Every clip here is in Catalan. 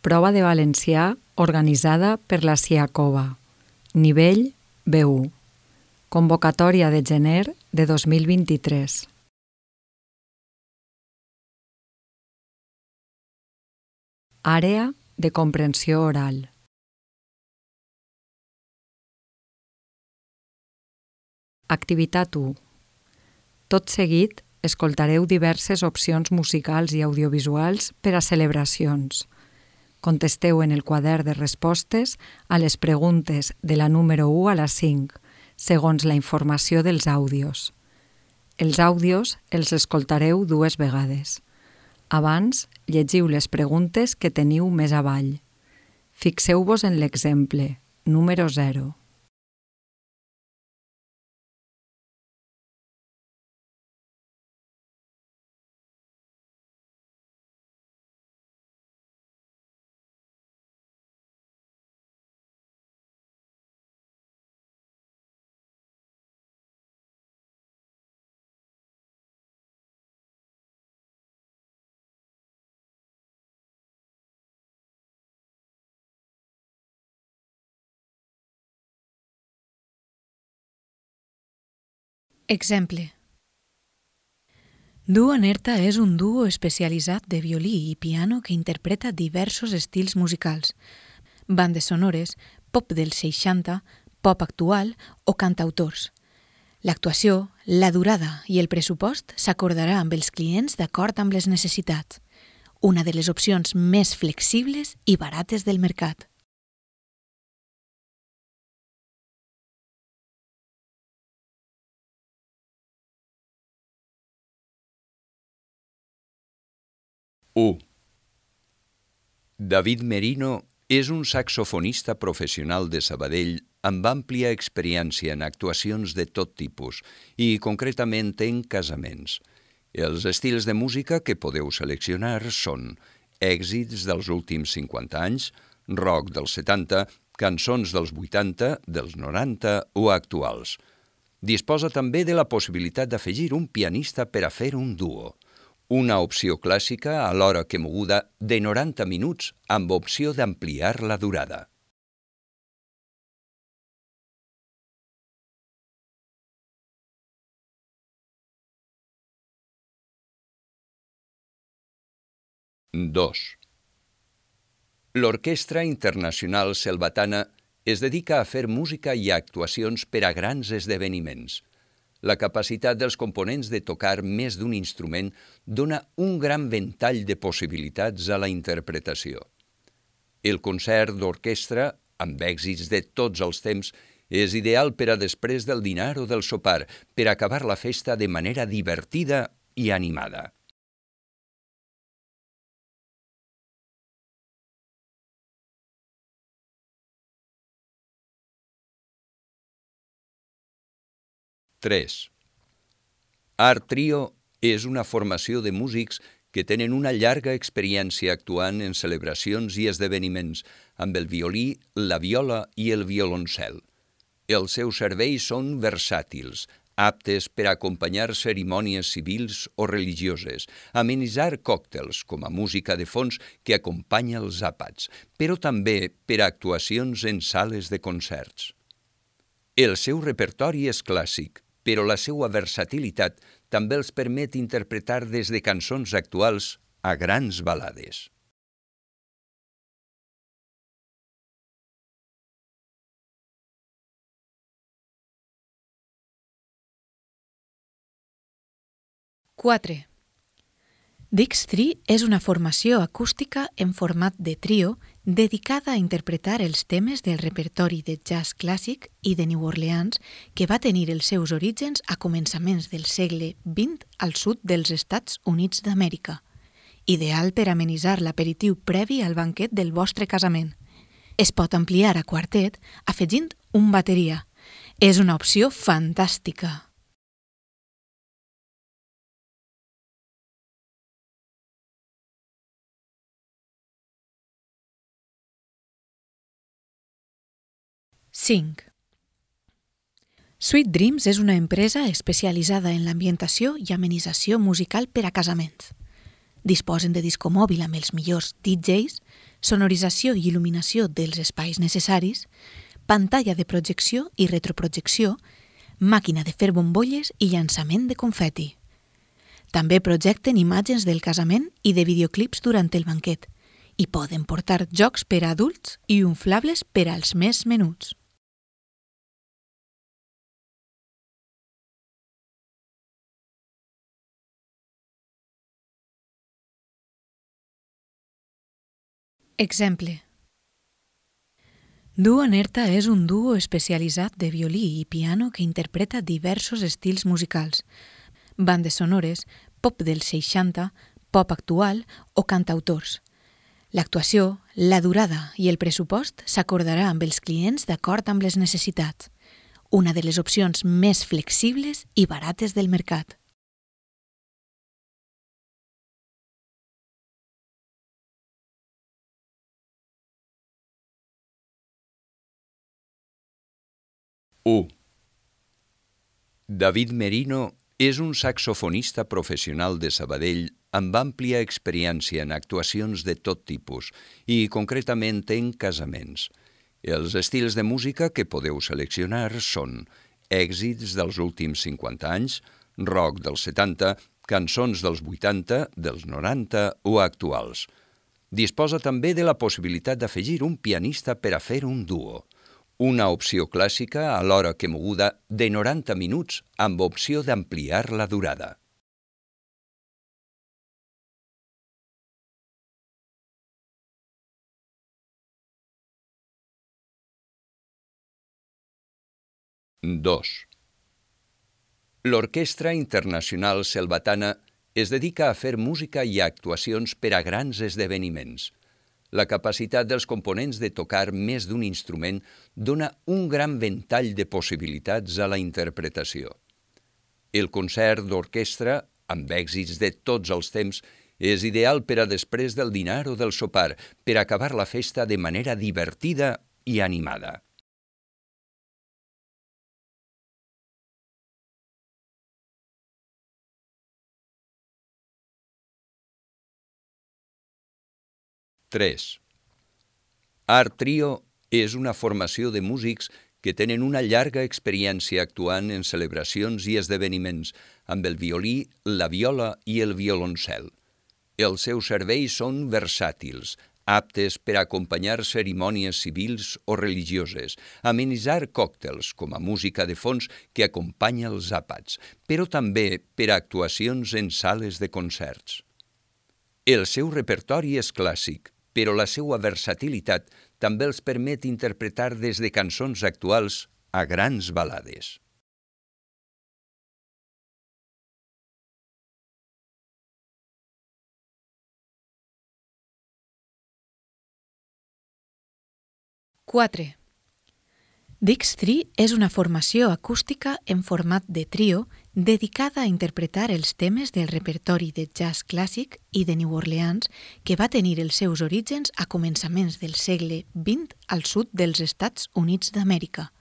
Prova de valencià organitzada per la CIACOVA. Nivell B1. Convocatòria de gener de 2023. Àrea de comprensió oral. Activitat 1. Tot seguit, escoltareu diverses opcions musicals i audiovisuals per a celebracions. Contesteu en el quadern de respostes a les preguntes de la número 1 a la 5, segons la informació dels àudios. Els àudios els escoltareu 2 vegades. Abans, llegiu les preguntes que teniu més avall. Fixeu-vos en l'exemple, número 0. Exemple. Duo Nerta és un duo especialitzat de violí i piano que interpreta diversos estils musicals, bandes sonores, pop dels 60, pop actual o cantautors. L'actuació, la durada i el pressupost s'acordarà amb els clients d'acord amb les necessitats, una de les opcions més flexibles i barates del mercat. David Merino és un saxofonista professional de Sabadell amb àmplia experiència en actuacions de tot tipus i, concretament, en casaments. Els estils de música que podeu seleccionar són èxits dels últims 50 anys, rock dels 70, cançons dels 80, dels 90 o actuals. Disposa també de la possibilitat d'afegir un pianista per a fer un duo. Una opció clàssica alhora que moguda de 90 minuts amb opció d'ampliar la durada. L'Orquestra Internacional Selvatana es dedica a fer música i actuacions per a grans esdeveniments. La capacitat dels components de tocar més d'un instrument dona un gran ventall de possibilitats a la interpretació. El concert d'orquestra, amb èxits de tots els temps, és ideal per a després del dinar o del sopar, per acabar la festa de manera divertida i animada. Art Trio és una formació de músics que tenen una llarga experiència actuant en celebracions i esdeveniments amb el violí, la viola i el violoncel. Els seus serveis són versàtils, aptes per a acompanyar cerimònies civils o religioses, amenitzar còctels com a música de fons que acompanya els àpats, però també per a actuacions en sales de concerts. El seu repertori és clàssic, però la seva versatilitat també els permet interpretar des de cançons actuals a grans balades. Dix3 és una formació acústica en format de trio dedicada a interpretar els temes del repertori de jazz clàssic i de New Orleans que va tenir els seus orígens a començaments del segle XX al sud dels Estats Units d'Amèrica, ideal per amenitzar l'aperitiu previ al banquet del vostre casament. Es pot ampliar a quartet afegint un bateria. És una opció fantàstica. Sweet Dreams és una empresa especialitzada en l'ambientació i amenització musical per a casaments. Disposen de disco mòbil amb els millors DJs, sonorització i il·luminació dels espais necessaris, pantalla de projecció i retroprojecció, màquina de fer bombolles i llançament de confeti. També projecten imatges del casament i de videoclips durant el banquet i poden portar jocs per a adults i inflables per als més menuts. Exemple. Duo Nerta és un duo especialitzat de violí i piano que interpreta diversos estils musicals, bandes sonores, pop dels 60, pop actual o cantautors. L'actuació, la durada i el pressupost s'acordarà amb els clients d'acord amb les necessitats, una de les opcions més flexibles i barates del mercat. David Merino és un saxofonista professional de Sabadell amb àmplia experiència en actuacions de tot tipus i, concretament, en casaments. Els estils de música que podeu seleccionar són èxits dels últims 50 anys, rock dels 70, cançons dels 80, dels 90 o actuals. Disposa també de la possibilitat d'afegir un pianista per a fer un duo. Una opció clàssica alhora que moguda de 90 minuts amb opció d'ampliar la durada. L'Orquestra Internacional Selvatana es dedica a fer música i actuacions per a grans esdeveniments. La capacitat dels components de tocar més d'un instrument dona un gran ventall de possibilitats a la interpretació. El concert d'orquestra, amb èxits de tots els temps, és ideal per a després del dinar o del sopar, per acabar la festa de manera divertida i animada. Art Trio és una formació de músics que tenen una llarga experiència actuant en celebracions i esdeveniments amb el violí, la viola i el violoncel. Els seus serveis són versàtils, aptes per a acompanyar cerimònies civils o religioses, amenitzar còctels com a música de fons que acompanya els àpats, però també per a actuacions en sales de concerts. El seu repertori és clàssic, però la seva versatilitat també els permet interpretar des de cançons actuals a grans balades. Dix3 és una formació acústica en format de trio dedicada a interpretar els temes del repertori de jazz clàssic i de New Orleans que va tenir els seus orígens a començaments del segle XX al sud dels Estats Units d'Amèrica,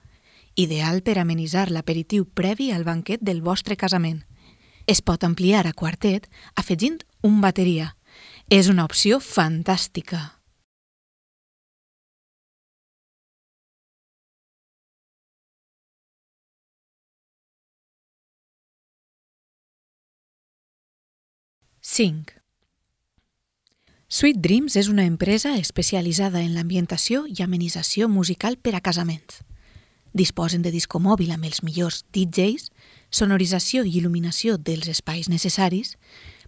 ideal per amenitzar l'aperitiu previ al banquet del vostre casament. Es pot ampliar a quartet afegint un bateria. És una opció fantàstica. Sweet Dreams és una empresa especialitzada en l'ambientació i amenització musical per a casaments. Disposen de disco mòbil amb els millors DJs, sonorització i il·luminació dels espais necessaris,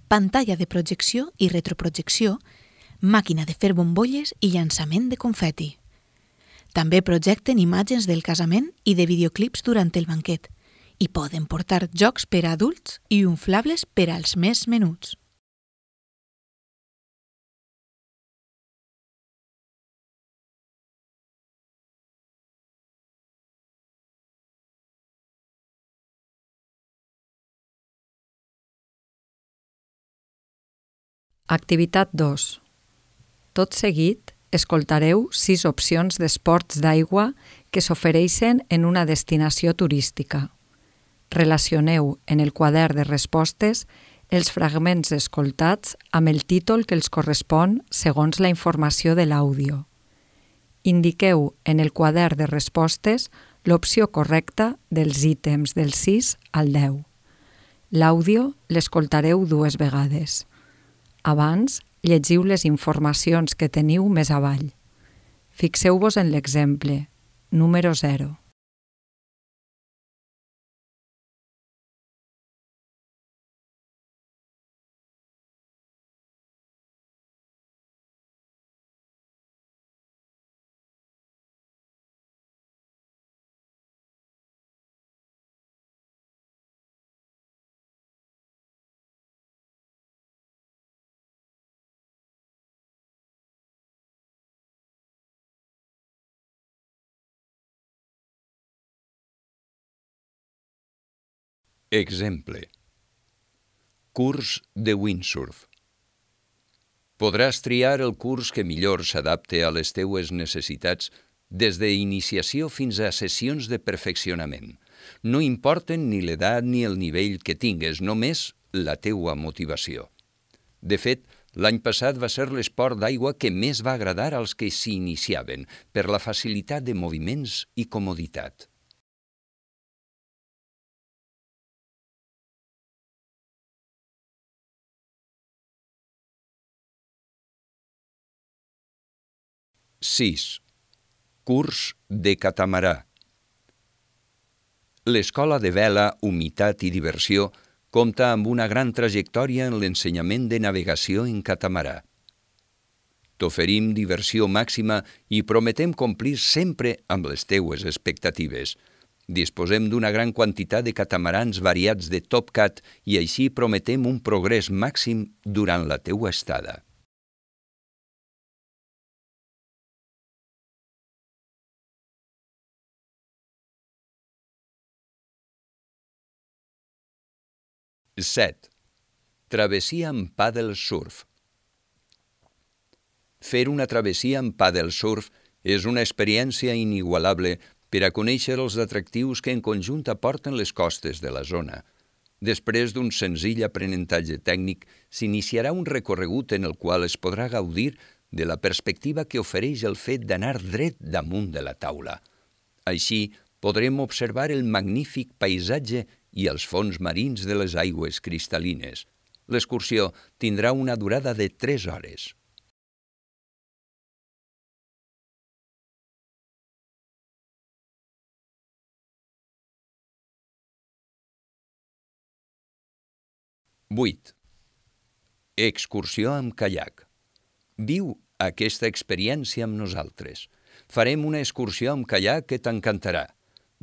pantalla de projecció i retroprojecció, màquina de fer bombolles i llançament de confeti. També projecten imatges del casament i de videoclips durant el banquet i poden portar jocs per a adults i inflables per als més menuts. Activitat 2. Tot seguit, escoltareu 6 opcions d'esports d'aigua que s'ofereixen en una destinació turística. Relacioneu en el quadern de respostes els fragments escoltats amb el títol que els correspon segons la informació de l'àudio. Indiqueu en el quadern de respostes l'opció correcta dels ítems del 6 al 10. L'àudio l'escoltareu 2 vegades. Abans, llegiu les informacions que teniu més avall. Fixeu-vos en l'exemple, número 0. Exemple. Curs de windsurf. Podràs triar el curs que millor s'adapte a les teues necessitats des d'iniciació fins a sessions de perfeccionament. No importen ni l'edat ni el nivell que tingues, només la teua motivació. De fet, l'any passat va ser l'esport d'aigua que més va agradar als que s'hi iniciaven, per la facilitat de moviments i comoditat. (6) Curs de catamarà. L'Escola de Vela, Humitat i Diversió compta amb una gran trajectòria en l'ensenyament de navegació en catamarà. T'oferim diversió màxima i prometem complir sempre amb les teues expectatives. Disposem d'una gran quantitat de catamarans variats de Top Cat i així prometem un progrés màxim durant la teua estada. (7) Travessia amb pàdel surf. Fer una travessia amb pàdel surf és una experiència inigualable per a conèixer els atractius que en conjunt aporten les costes de la zona. Després d'un senzill aprenentatge tècnic, s'iniciarà un recorregut en el qual es podrà gaudir de la perspectiva que ofereix el fet d'anar dret damunt de la taula. Així, podrem observar el magnífic paisatge i els fons marins de les aigües cristal·lines. L'excursió tindrà una durada de 3 hores. (8) Excursió amb caiac. Viu aquesta experiència amb nosaltres. Farem una excursió amb caiac que t'encantarà.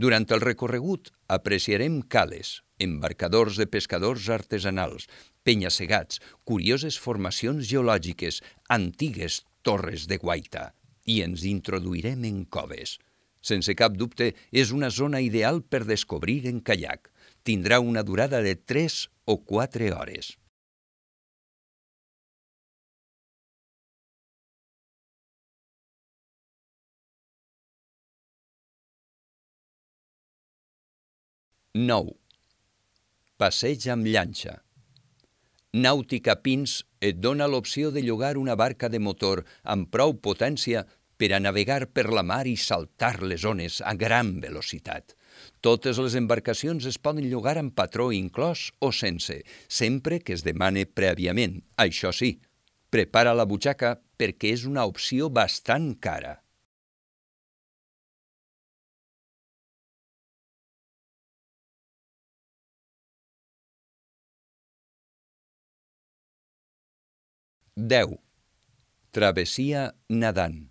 Durant el recorregut apreciarem cales, embarcadors de pescadors artesanals, penya-segats, curioses formacions geològiques, antigues torres de guaita, i ens introduirem en coves. Sense cap dubte, és una zona ideal per descobrir en caiac. Tindrà una durada de 3 o 4 hores. (9) Passeig amb llanxa. Nàutica Pins et dona l'opció de llogar una barca de motor amb prou potència per a navegar per la mar i saltar les ones a gran velocitat. Totes les embarcacions es poden llogar amb patró inclòs o sense, sempre que es demane prèviament. Això sí, prepara la butxaca perquè és una opció bastant cara. (10) Travessia nadant.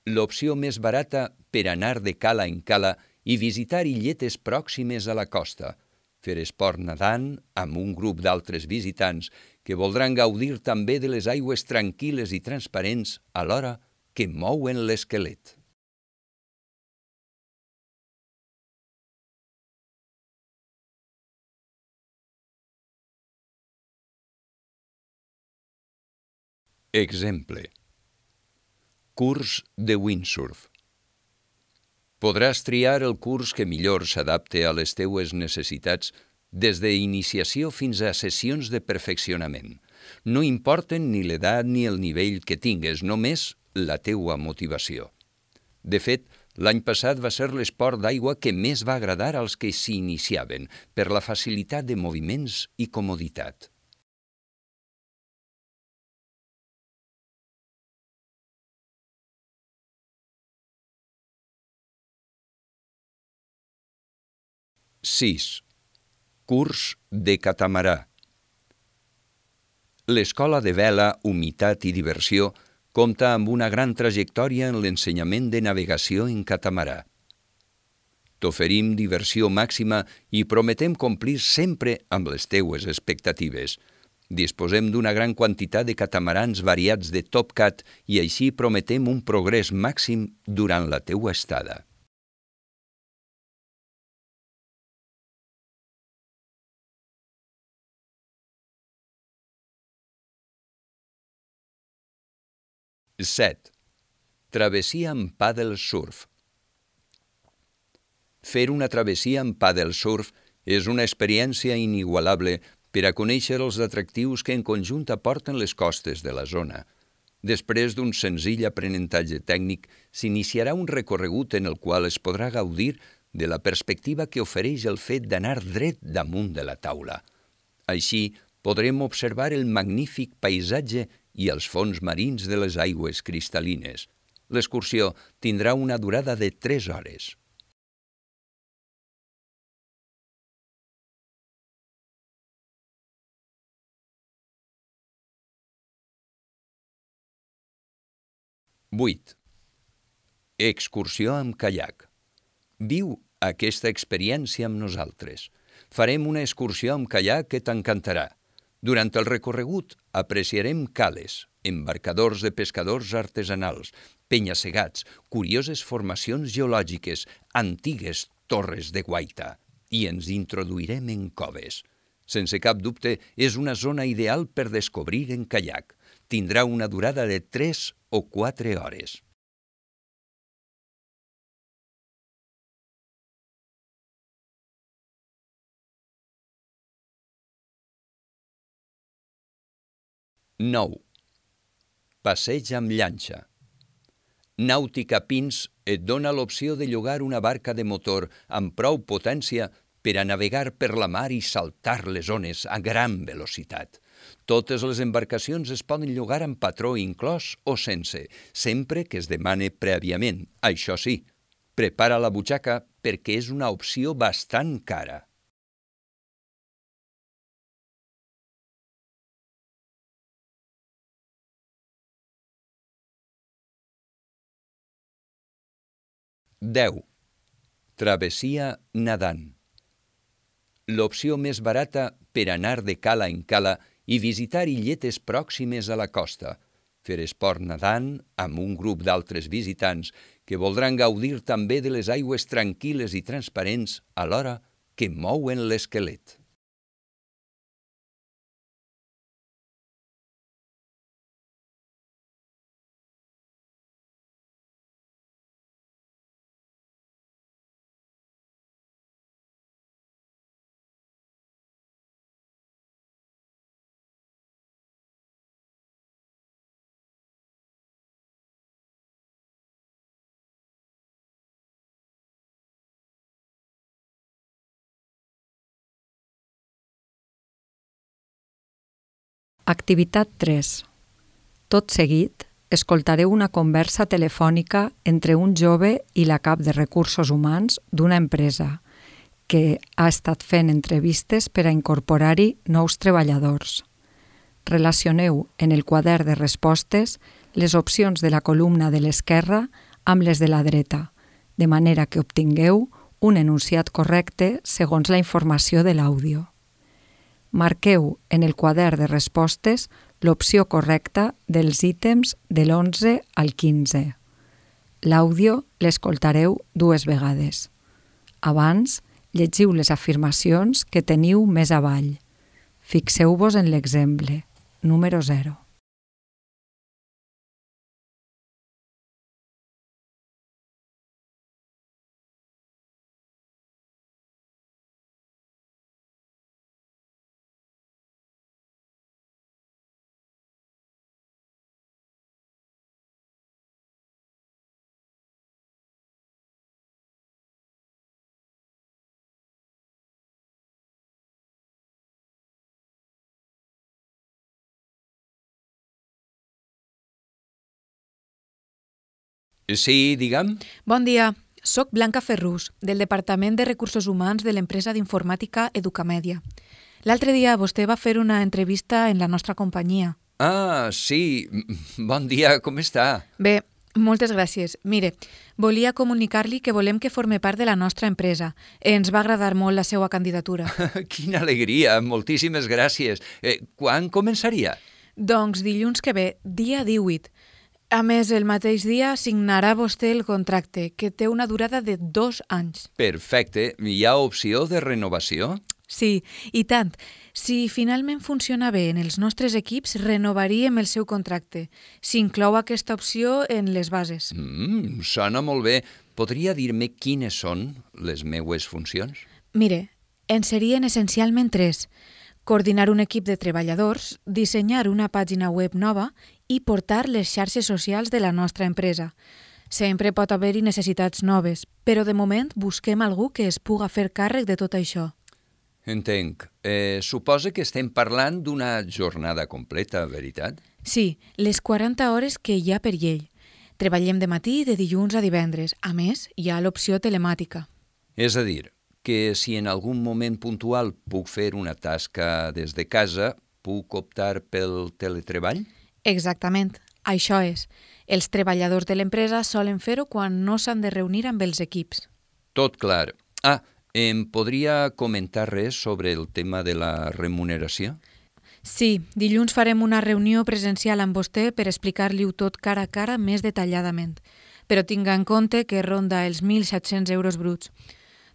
L'opció més barata per anar de cala en cala i visitar illetes pròximes a la costa. Fer esport nadant amb un grup d'altres visitants que voldran gaudir també de les aigües tranquil·les i transparents alhora que mouen l'esquelet. Exemple. Curs de windsurf. Podràs triar el curs que millor s'adapte a les teues necessitats des d'iniciació fins a sessions de perfeccionament. No importen ni l'edat ni el nivell que tingues, només la teua motivació. De fet, l'any passat va ser l'esport d'aigua que més va agradar als que s'hi iniciaven, per la facilitat de moviments i comoditat. Sis. Curs de catamarà. L'Escola de Vela, Humitat i Diversió compta amb una gran trajectòria en l'ensenyament de navegació en catamarà. T'oferim diversió màxima i prometem complir sempre amb les teues expectatives. Disposem d'una gran quantitat de catamarans variats de Top Cat i així prometem un progrés màxim durant la teua estada. Set. Travessia amb paddle surf. Fer una travessia amb paddle surf és una experiència inigualable per a conèixer els atractius que en conjunt aporten les costes de la zona. Després d'un senzill aprenentatge tècnic, s'iniciarà un recorregut en el qual es podrà gaudir de la perspectiva que ofereix el fet d'anar dret damunt de la taula. Així, podrem observar el magnífic paisatge i els fons marins de les aigües cristal·lines. L'excursió tindrà una durada de 3 hores. Vuit. Excursió amb caiac. Viu aquesta experiència amb nosaltres. Farem una excursió amb caiac que t'encantarà. Durant el recorregut apreciarem cales, embarcadors de pescadors artesanals, penya-segats, curioses formacions geològiques, antigues torres de guaita, i ens introduirem en coves. Sense cap dubte, és una zona ideal per descobrir en caiac. Tindrà una durada de 3 o 4 hores. Nou. Passeig amb llanxa. Nàutica Pins et dona l'opció de llogar una barca de motor amb prou potència per a navegar per la mar i saltar les ones a gran velocitat. Totes les embarcacions es poden llogar amb patró inclòs o sense, sempre que es demane prèviament. Això sí, prepara la butxaca perquè és una opció bastant cara. Deu. Travessia nadant. L'opció més barata per anar de cala en cala i visitar illetes pròximes a la costa. Fer esport nadant amb un grup d'altres visitants que voldran gaudir també de les aigües tranquil·les i transparents alhora que mouen l'esquelet. Activitat 3. Tot seguit, escoltareu una conversa telefònica entre un jove i la cap de recursos humans d'una empresa que ha estat fent entrevistes per a incorporar-hi nous treballadors. Relacioneu en el quadern de respostes les opcions de la columna de l'esquerra amb les de la dreta, de manera que obtingueu un enunciat correcte segons la informació de l'àudio. Marqueu en el quadern de respostes l'opció correcta dels ítems de l'11 al 15. L'àudio l'escoltareu 2 vegades. Abans, llegiu les afirmacions que teniu més avall. Fixeu-vos en l'exemple, número 0. Sí, digue'm. Bon dia, soc Blanca Ferrús, del Departament de Recursos Humans de l'empresa d'informàtica Educamèdia. L'altre dia vostè va fer una entrevista en la nostra companyia. Ah, sí. Bon dia, com està? Bé, moltes gràcies. Mire, volia comunicar-li que volem que forme part de la nostra empresa. Ens va agradar molt la seva candidatura. Quina alegria, moltíssimes gràcies. Quan començaria? Doncs dilluns que ve, dia 18. A més, el mateix dia signarà vostè el contracte, que té una durada de 2 anys. Perfecte. Hi ha opció de renovació? Sí, i tant. Si finalment funciona bé en els nostres equips, renovaríem el seu contracte. S'inclou aquesta opció en les bases. Sona molt bé. Podria dir-me quines són les meues funcions? Mire, en serien essencialment 3. Coordinar un equip de treballadors, dissenyar una pàgina web nova i portar les xarxes socials de la nostra empresa. Sempre pot haver-hi necessitats noves, però de moment busquem algú que es puga fer càrrec de tot això. Entenc. Suposa que estem parlant d'una jornada completa, veritat? Sí, les 40 hores que hi ha per llei. Treballem de matí de dilluns a divendres. A més, hi ha l'opció telemàtica. És a dir, que si en algun moment puntual puc fer una tasca des de casa, puc optar pel teletreball? Exactament, això és. Els treballadors de l'empresa solen fer-ho quan no s'han de reunir amb els equips. Tot clar. Em podria comentar res sobre el tema de la remuneració? Sí, dilluns farem una reunió presencial amb vostè per explicar-li-ho tot cara a cara més detalladament. Però tinga en compte que ronda els 1.700 euros bruts.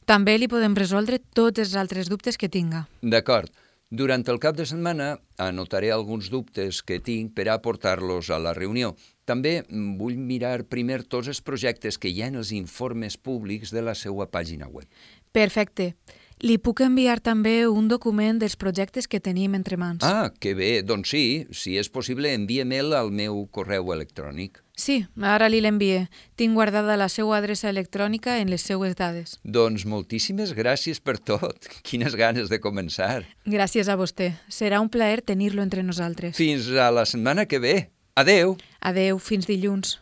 També li podem resoldre tots els altres dubtes que tinga. D'acord. Durant el cap de setmana anotaré alguns dubtes que tinc per aportar-los a la reunió. També vull mirar primer tots els projectes que hi ha en els informes públics de la seva pàgina web. Perfecte. Li puc enviar també un document dels projectes que tenim entre mans. Que bé. Doncs sí, si és possible, envia-me'l al meu correu electrònic. Sí, ara li l'envie. Tinc guardada la seva adreça electrònica en les seues dades. Doncs moltíssimes gràcies per tot. Quines ganes de començar. Gràcies a vostè. Serà un plaer tenir-lo entre nosaltres. Fins a la setmana que ve. Adeu. Adeu, fins dilluns.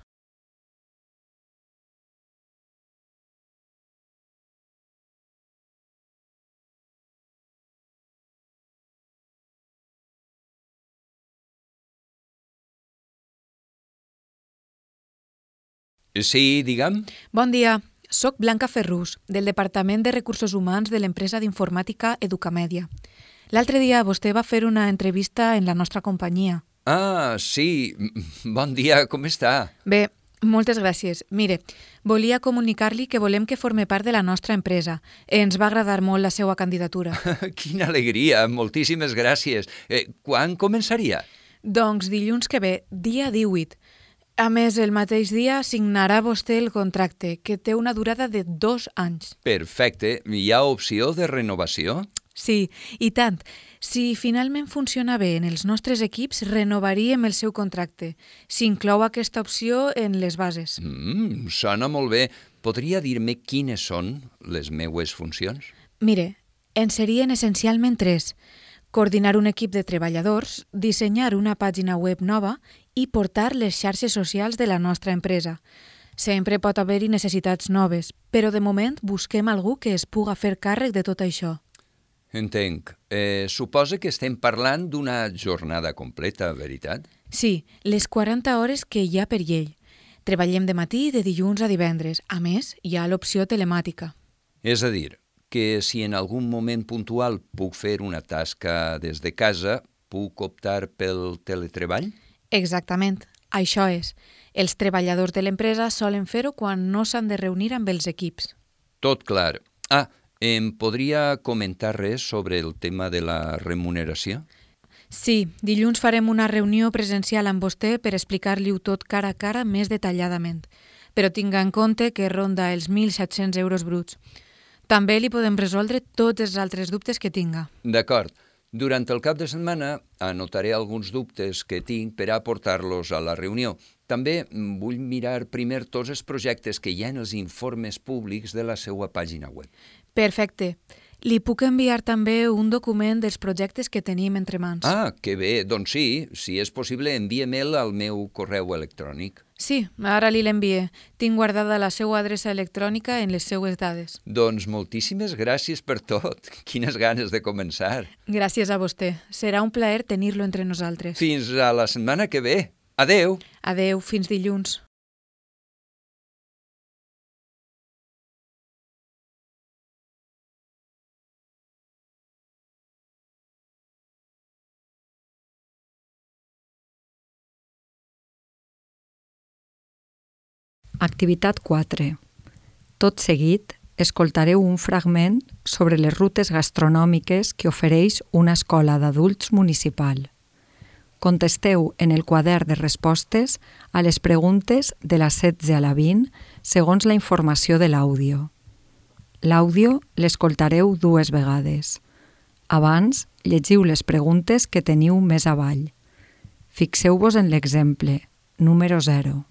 Sí, digue'm. Bon dia, soc Blanca Ferrús, del Departament de Recursos Humans de l'empresa d'informàtica Educamèdia. L'altre dia vostè va fer una entrevista en la nostra companyia. Sí. Bon dia, com està? Bé, moltes gràcies. Mire, volia comunicar-li que volem que forme part de la nostra empresa. Ens va agradar molt la seva candidatura. Quina alegria, moltíssimes gràcies. Quan començaria? Doncs dilluns que ve, dia 18. A més, el mateix dia signarà vostè el contracte, que té una durada de 2 anys. Perfecte. Hi ha opció de renovació? Sí, i tant. Si finalment funciona bé en els nostres equips, renovaríem el seu contracte. S'inclou aquesta opció en les bases. Sona molt bé. Podria dir-me quines són les meues funcions? Mire, en serien essencialment 3. Coordinar un equip de treballadors, dissenyar una pàgina web nova i portar les xarxes socials de la nostra empresa. Sempre pot haver-hi necessitats noves, però de moment busquem algú que es puga fer càrrec de tot això. Entenc. Suposa que estem parlant d'una jornada completa, veritat? Sí, les 40 hores que hi ha per llei. Treballem de matí de dilluns a divendres. A més, hi ha l'opció telemàtica. És a dir, que si en algun moment puntual puc fer una tasca des de casa, puc optar pel teletreball? Exactament, això és. Els treballadors de l'empresa solen fer-ho quan no s'han de reunir amb els equips. Tot clar. Em podria comentar res sobre el tema de la remuneració? Sí, dilluns farem una reunió presencial amb vostè per explicar-li-ho tot cara a cara més detalladament. Però tinga en compte que ronda els 1.700 euros bruts. També li podem resoldre tots els altres dubtes que tinga. D'acord. Durant el cap de setmana anotaré alguns dubtes que tinc per aportar-los a la reunió. També vull mirar primer tots els projectes que hi ha en els informes públics de la seva pàgina web. Perfecte. Li puc enviar també un document dels projectes que tenim entre mans. Ah, que bé, doncs sí, si és possible envia-me'l al meu correu electrònic. Sí, ara li l'envie. Tinc guardada la seva adreça electrònica en les seues dades. Doncs moltíssimes gràcies per tot. Quines ganes de començar. Gràcies a vostè. Serà un plaer tenir-lo entre nosaltres. Fins a la setmana que ve. Adeu! Adeu, fins dilluns. Activitat 4. Tot seguit, escoltareu un fragment sobre les rutes gastronòmiques que ofereix una escola d'adults municipal. Contesteu en el quadern de respostes a les preguntes de la 16 a la 20 segons la informació de l'àudio. L'àudio l'escoltareu 2 vegades. Abans, llegiu les preguntes que teniu més avall. Fixeu-vos en l'exemple, número 0.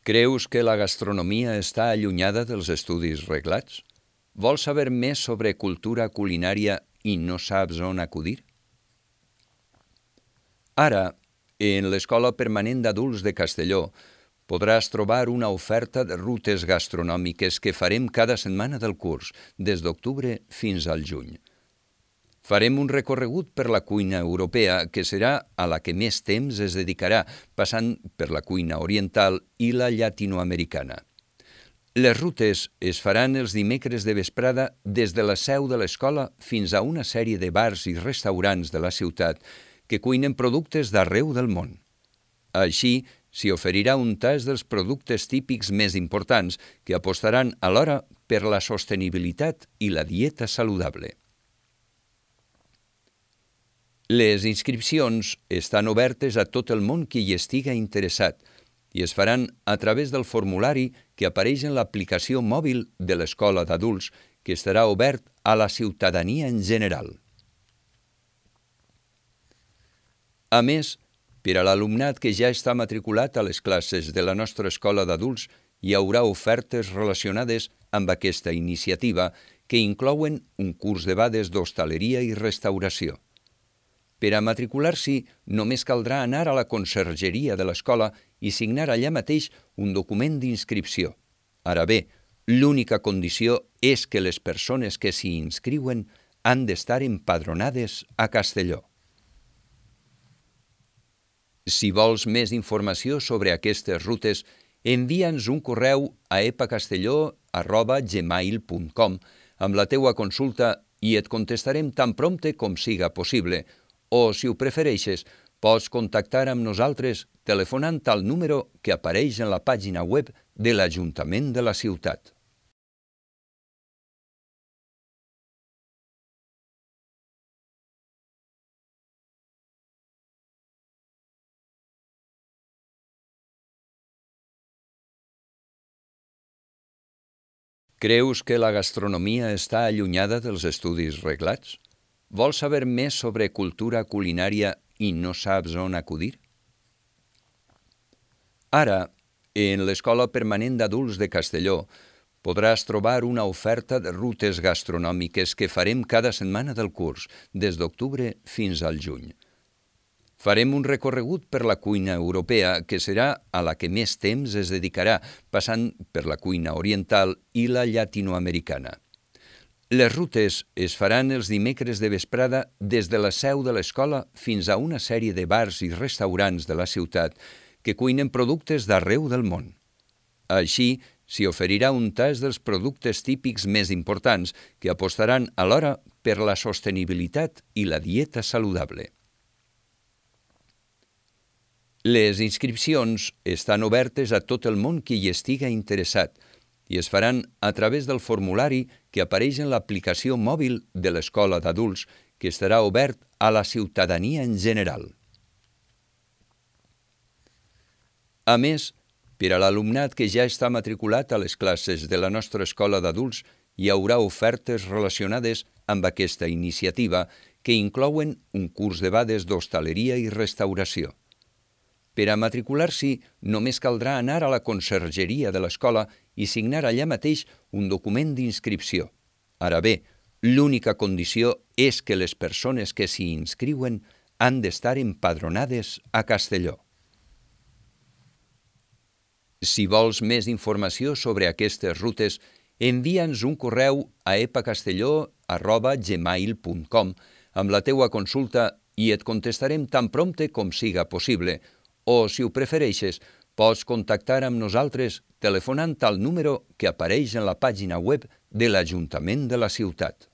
Creus que la gastronomia està allunyada dels estudis reglats? Vols saber més sobre cultura culinària i no saps on acudir? Ara, en l'Escola Permanent d'Adults de Castelló, podràs trobar una oferta de rutes gastronòmiques que farem cada setmana del curs, des d'octubre fins al juny. Farem un recorregut per la cuina europea, que serà a la que més temps es dedicarà, passant per la cuina oriental i la llatinoamericana. Les rutes es faran els dimecres de vesprada des de la seu de l'escola fins a una sèrie de bars i restaurants de la ciutat que cuinen productes d'arreu del món. Així, s'hi oferirà un tast dels productes típics més importants que apostaran alhora per la sostenibilitat i la dieta saludable. Les inscripcions estan obertes a tot el món que hi estiga interessat i es faran a través del formulari que apareix en l'aplicació mòbil de l'Escola d'Adults, que estarà obert a la ciutadania en general. A més, per a l'alumnat que ja està matriculat a les classes de la nostra Escola d'Adults, hi haurà ofertes relacionades amb aquesta iniciativa que inclouen un curs de bades d'hostaleria i restauració. Per a matricular-s'hi, només caldrà anar a la consergeria de l'escola i signar allà mateix un document d'inscripció. Ara bé, l'única condició és que les persones que s'hi inscriuen han d'estar empadronades a Castelló. Si vols més informació sobre aquestes rutes, envia'ns un correu a epacastelló@gmail.com amb la teua consulta i et contestarem tan prompte com siga possible, o, si ho prefereixes, pots contactar amb nosaltres telefonant al número que apareix en la pàgina web de l'Ajuntament de la ciutat. Creus que la gastronomia està allunyada dels estudis reglats? Vols saber més sobre cultura culinària i no saps on acudir? Ara, en l'Escola Permanent d'Adults de Castelló, podràs trobar una oferta de rutes gastronòmiques que farem cada setmana del curs, des d'octubre fins al juny. Farem un recorregut per la cuina europea, que serà a la que més temps es dedicarà, passant per la cuina oriental i la llatinoamericana. Les rutes es faran els dimecres de vesprada des de la seu de l'escola fins a una sèrie de bars i restaurants de la ciutat que cuinen productes d'arreu del món. Així, s'hi oferirà un tast dels productes típics més importants que apostaran alhora per la sostenibilitat i la dieta saludable. Les inscripcions estan obertes a tot el món que hi estiga interessat i es faran a través del formulari que apareix en l'aplicació mòbil de l'Escola d'Adults, que estarà obert a la ciutadania en general. A més, per a l'alumnat que ja està matriculat a les classes de la nostra Escola d'Adults, hi haurà ofertes relacionades amb aquesta iniciativa que inclouen un curs de bades d'hostaleria i restauració. Per a matricular-s'hi, només caldrà anar a la consergeria de l'escola i signar allà mateix un document d'inscripció. Ara bé, l'única condició és que les persones que s'hi inscriuen han d'estar empadronades a Castelló. Si vols més informació sobre aquestes rutes, envia'ns un correu a epacastelló@gmail.com amb la teua consulta i et contestarem tan prompte com siga possible, o, si ho prefereixes, pots contactar amb nosaltres telefonant al número que apareix en la pàgina web de l'Ajuntament de la ciutat.